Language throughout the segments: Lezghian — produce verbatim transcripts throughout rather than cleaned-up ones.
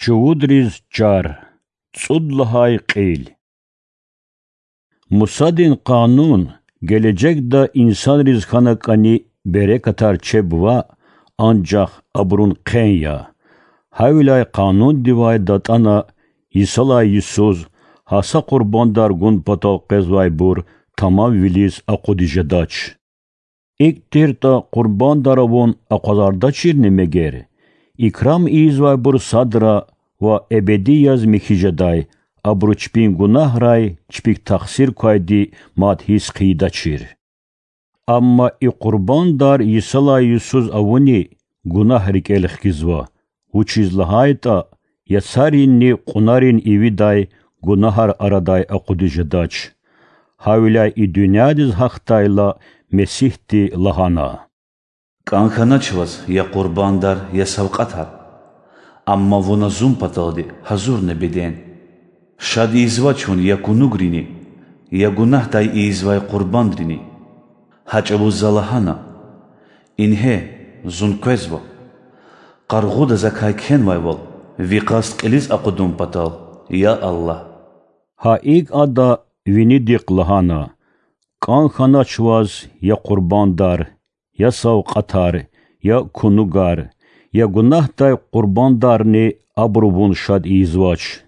Чувудриз чар. ЦӀуд лагьай кьил. Мусадин Къанун гележегда инсанриз хьана кӀани берекатар чеб ваъ, анжах абурун хъен я. Гьавиляй Къанундивай датӀана йисалай йисуз гьа са къурбандар гун патал къвезвайбур тамамвилиз акъудиз жедач. ИкӀ тиртӀа, къурбандар авун акъвазардачирни мегер? Икрам ийизвайбур садра ва эбеди яз михьи жедай, абуру чпин гунагьрай чпик тахсир квайди мад гьисс хъийидачир. Амма и къурбандар йисалай йисуз авуни гунагь рикӀел хкизва, вучиз лагьайтӀа яцаринни кьунарин ивидай гунагьар арадай акъудиз жедач. Гьавиляй и дуьньядиз гьахьдайла, Месигьди лагьана: КӀан хьанач ваз я къурбандар, я савкьватар, амма вуна Зун паталди гьазурна беден. Шад ийизвач Вун я кунугрини, я гунагьдай ийизвай къурбандрини. Гьа чӀавуз За лагьана: Ингье, Зун къвезва. Къаргъуда Закай кхьенвайвал, Ви къаст кьилиз акъудун патал, я Аллагь. Гьа икӀ Ада винидихъ лагьана: КӀан хьанач ваз я къурбандар, я савкьватар, я кунугар, я гунагьдай къурбандарни, абуру Вун шад ийизвач.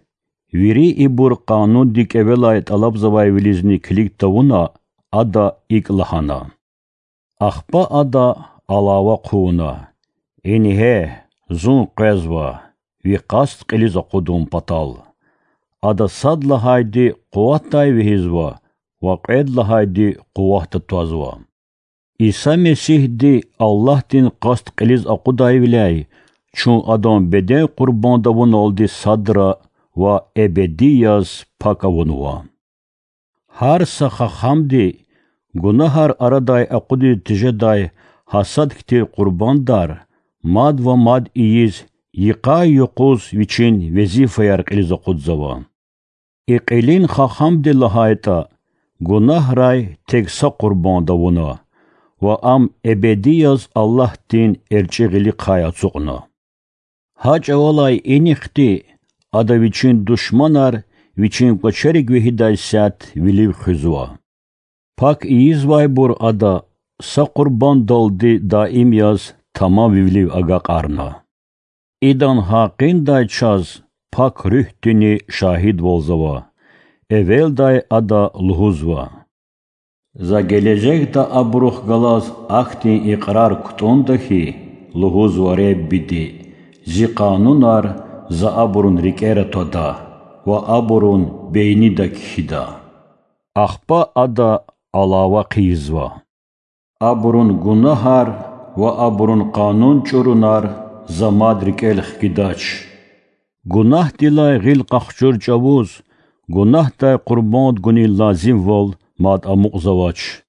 Вири ибур Къанунди кӀевелай тӀалабзавайвилизни килиг тавуна, Ада икӀ лагьана. Ахпа Ада алава хъувуна: Ингье, Зун къвезва, Ви къаст кьилиз акъудун патал. Ада сад лагьайди къуватдай вегьизва ва кьвед лагьайди къуватда твазва. Иса Месигьди Аллагьдин къаст кьилиз акъудайвиляй чун Адан беден къурбанд авуналди садра ва эбеди яз пак авунва. Гьар са хахамди гунагьар арадай акъудиз тежедай гьа сад хьтин къурбандар мад ва мад ийиз, йикъа-юкъуз вичин везифаяр кьилиз акъудзава. И кьилин хахамди лагьайтӀа, гунагьрай тек са къурбанд авуна ва ам эбеди яз Аллагьдин эрчӀи гъилихъай ацукьна. Гьа чӀавалай инихъди ада вичин душманар вичин кӀвачерик вегьидай сят вилив хуьзва. Пак ийизвайбур ада са къурбандалди даим яз тамамвилив агакьарна. Идан гьакъиндай чаз Пак Руьгьдини шагьидвалзава. Эвелдай ада лугьузва: За гележегда абурухъ галаз ахьтин икьрар кутӀунда хьи, лугьузва Реббиди, Зи къанунар за абурун рикӀера твада ва абурун бейнида кхьида. Ахпа ада алава хъийизва: Абурун гунагьар ва абурун къанун чӀурунар за мад рикӀел хкидач. Гунагьдилай гъил къахчур чӀавуз гунагьдай къурбанд гунин лазимвал мад амукьзавач.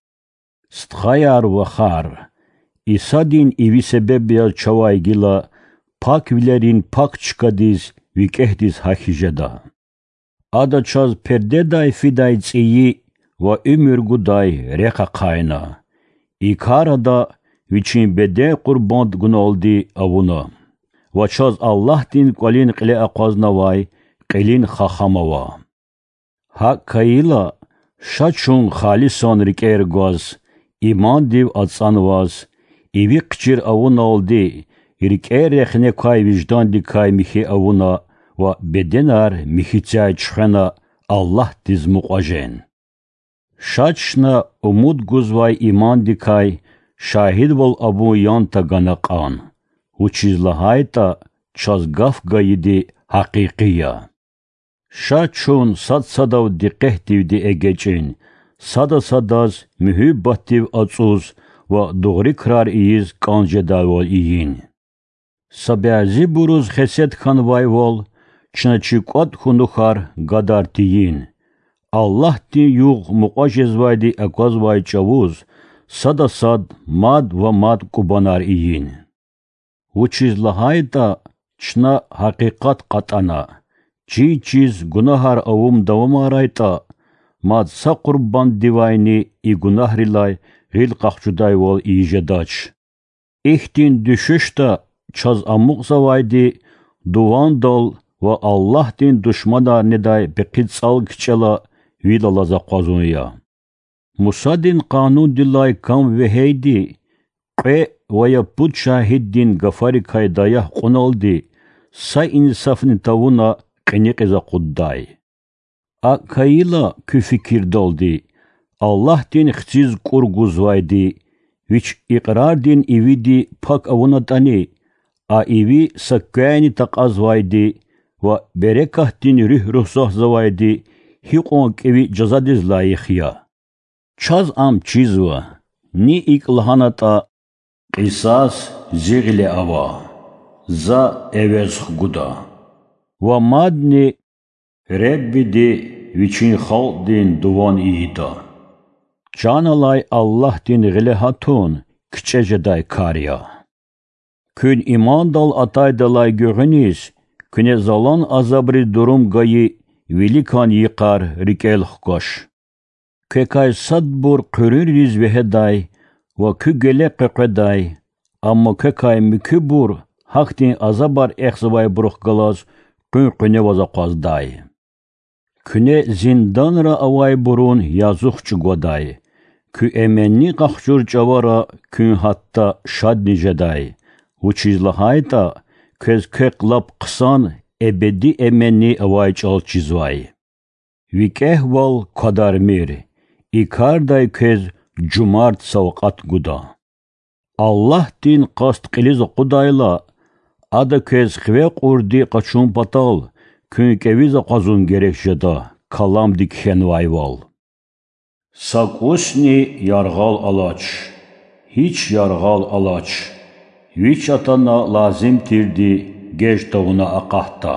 Стхаяр-вахар, Исадин иви себеб яз чавай гила паквилерин пак чкадиз викӀегьдиз гьахьиз жеда. Ада чаз пердедай фидай цӀийи ва уьмуьр гудай рехъ ахъайна. И кар Ада Вичин беден къурбанд гуналди авуна ва чаз Аллагьдин кӀвалин кьиле акъвазнавай кьилин хахам ава. ГьакӀ хьайила, ша чун халисан рикӀер гваз, имандив ацӀанваз, иви хъчир авуналди, рикӀер рехне квай виждандикай михьи авуна ва беденар михьи цяй чуьхвена Аллагьдиз мукьва жен. Ша чна умуд гузвай имандикай шагьидвал авун ян тагана кьан, вучиз лагьайтӀа чаз гаф гайиди гьакъикъи я. Ша чун сад-садав дикъетдивди эгечӀин, сада-садаз муьгьуьббатдив ацӀуз ва дугъри крар ийиз кӀан жедайвал ийин. Са бязибуруз хесет хьанвайвал, чна чи кӀватӀ хьунухар гадар тийин. Аллагьдин югъ мукьва жезвайди аквазвай чӀавуз сада сад мад ва мад кӀубанар ийин. Вучиз лагьайтӀа чна гьакъикъат кьатӀана, чий-чиз гунагьар авун давамарайтӀа, мад са къурбанддивайни и гунагьрилай гъил къахчудайвал ийиз жедач. Ихьтин дуьшуьшда чаз амукьзавайди дувандал ва Аллагьдин душманар недай пехъи цӀал кичӀела вил алаз акъвазун я. Мусадин Къанундилай кам вегьейди, кьве ва я пуд шагьиддин гафарикай даях кьуналди са инсафни тавуна кьиникьиз акъуддай. АкӀ хьайила, куь фикирдалди, Аллагьдин хциз кӀур гузвайди, Вич икьрардин ивиди пак авунатӀани, а иви са квяйни такьазвайди ва берекатдин руьгь рухзатзавайди гьикьван кӀеви жазадиз лайих я? Чаз ам чизва: ни икӀ лагьанатӀа: Кьисас Зи гъиле ава, За эвез хгуда, ва мадни: Худавандди Вичин халкьдин дуван ийида. Чан алай Аллагьдин гъиле гьатун кичӀе жедай кар я. Куьн имандал атайдалай гуьгъуьниз куьне залан азабриз дурум гайи виликан йикъар рикӀел хкваш. Квекай садбур хъуьруьнриз вегьедай ва куь геле къекъведай, амма квекай муькуьбур гьахьтин азабар эхзавайбурухъ галаз къуьн къуьневаз акъваздай. Куьне зинданра авайбурун язух чӀугвадай, куь эменни къахчур чӀавара куьн гьатта шадни жедай, вучиз лагьайтӀа квез квехъ лап хъсан эбеди эменни авай чӀал чизвай. ВикӀегьвал квадармир, и кардай квез жумарт савкьват гуда. Аллагьдин къаст кьилиз акъудайла, Ада квез хиве кьурди къачун патал куьн кӀевиз акъвазун герек жеда, каламди кхьенвайвал. Са кӀусни яргъал алач, гьич яргъал алач, вич атана лазим тирди геж тавуна акъатда.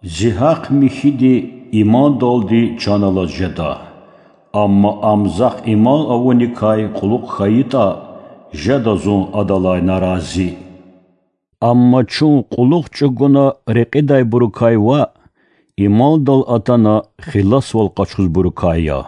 Зи гьахъ михьиди имандалди чан алаз жеда, амма ам захъ иман авуникай кьулухъ хьайитӀа, жеда зун адалай нарази. Амма чун кьулухъ чӀугуна рекьидайбурукай ваъ, имандал атана хиласвал къачузбурукай я.